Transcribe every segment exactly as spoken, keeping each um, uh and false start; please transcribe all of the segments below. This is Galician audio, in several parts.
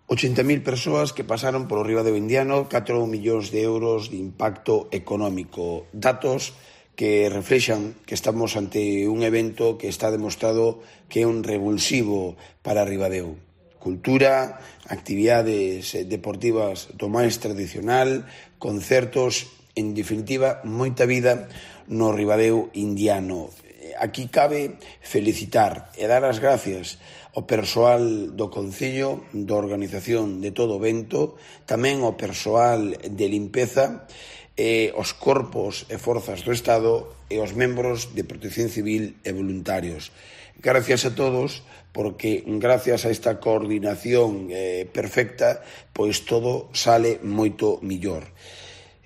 ochenta mil persoas que pasaron polo Ribadeo Indiano, catro millóns de euros de impacto económico. Datos que reflexan que estamos ante un evento que está demostrado que é un revulsivo para Ribadeo. Cultura, actividades deportivas do máis tradicional, concertos, en definitiva, moita vida no Ribadeo Indiano. Aquí cabe felicitar e dar as gracias ao persoal do Concello, da organización de todo o evento, tamén ao persoal de limpeza, e aos corpos e forzas do Estado e aos membros de Protección Civil e voluntarios. Gracias a todos, porque gracias a esta coordinación eh, perfecta, pois todo sale moito millor.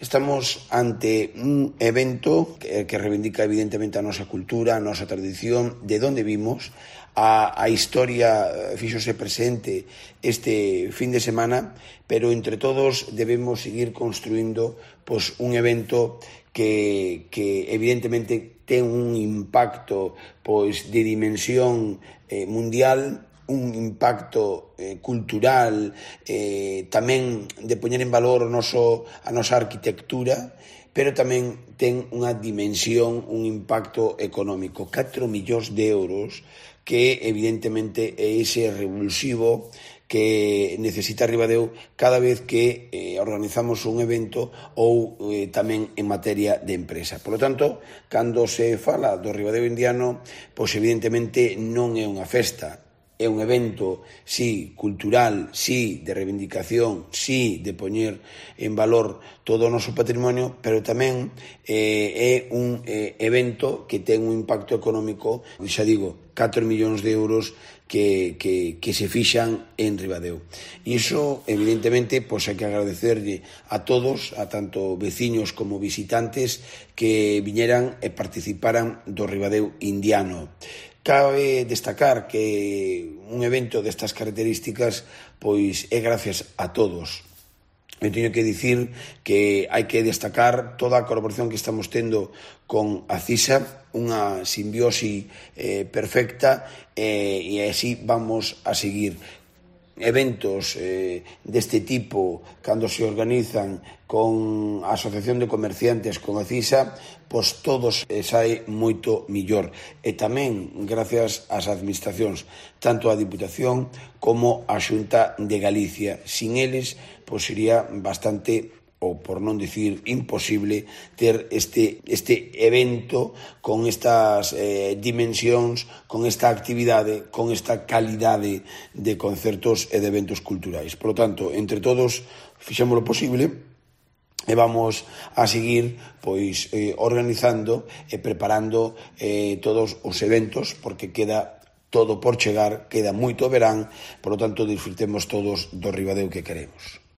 Estamos ante un evento que, que reivindica evidentemente a nosa cultura, a nosa tradición, de onde vimos, a, a historia fíxose presente este fin de semana, pero entre todos debemos seguir construindo pois, un evento que, que evidentemente ten un impacto pois, de dimensión eh, mundial, un impacto eh, cultural, eh, tamén de poñer en valor o noso, a nosa arquitectura, pero tamén ten unha dimensión, un impacto económico. catro millóns de euros que evidentemente é ese revulsivo que necesita Ribadeo cada vez que eh, organizamos un evento ou eh, tamén en materia de empresa. Por lo tanto, cando se fala do Ribadeo Indiano, pois evidentemente non é unha festa, é un evento, sí, cultural, sí, de reivindicación, sí, de poñer en valor todo o noso patrimonio, pero tamén eh, é un eh, evento que ten un impacto económico, xa digo, catro millóns de euros que, que, que se fixan en Ribadeo. E iso, evidentemente, pois hai que agradecerlle a todos, a tanto veciños como visitantes, que viñeran e participaran do Ribadeo Indiano. Cabe destacar que un evento destas características pois é gracias a todos. Eu teño que dicir que hai que destacar toda a colaboración que estamos tendo con a CISA, unha simbiose eh, perfecta, eh, e así vamos a seguir. Eventos eh, deste tipo, cando se organizan con a Asociación de Comerciantes, con a CISA, pois todos eh, sae moito millor. E tamén gracias ás administracións, tanto a Diputación como a Xunta de Galicia. Sin eles, pois sería bastante, ou por non dicir imposible, ter este, este evento con estas eh, dimensións, con esta actividade, con esta calidade de concertos e de eventos culturais. Por lo tanto, entre todos, fixemos o posible e vamos a seguir pois eh, organizando e preparando eh, todos os eventos, porque queda todo por chegar, queda moito verán, por lo tanto, disfrutemos todos do Ribadeo que queremos.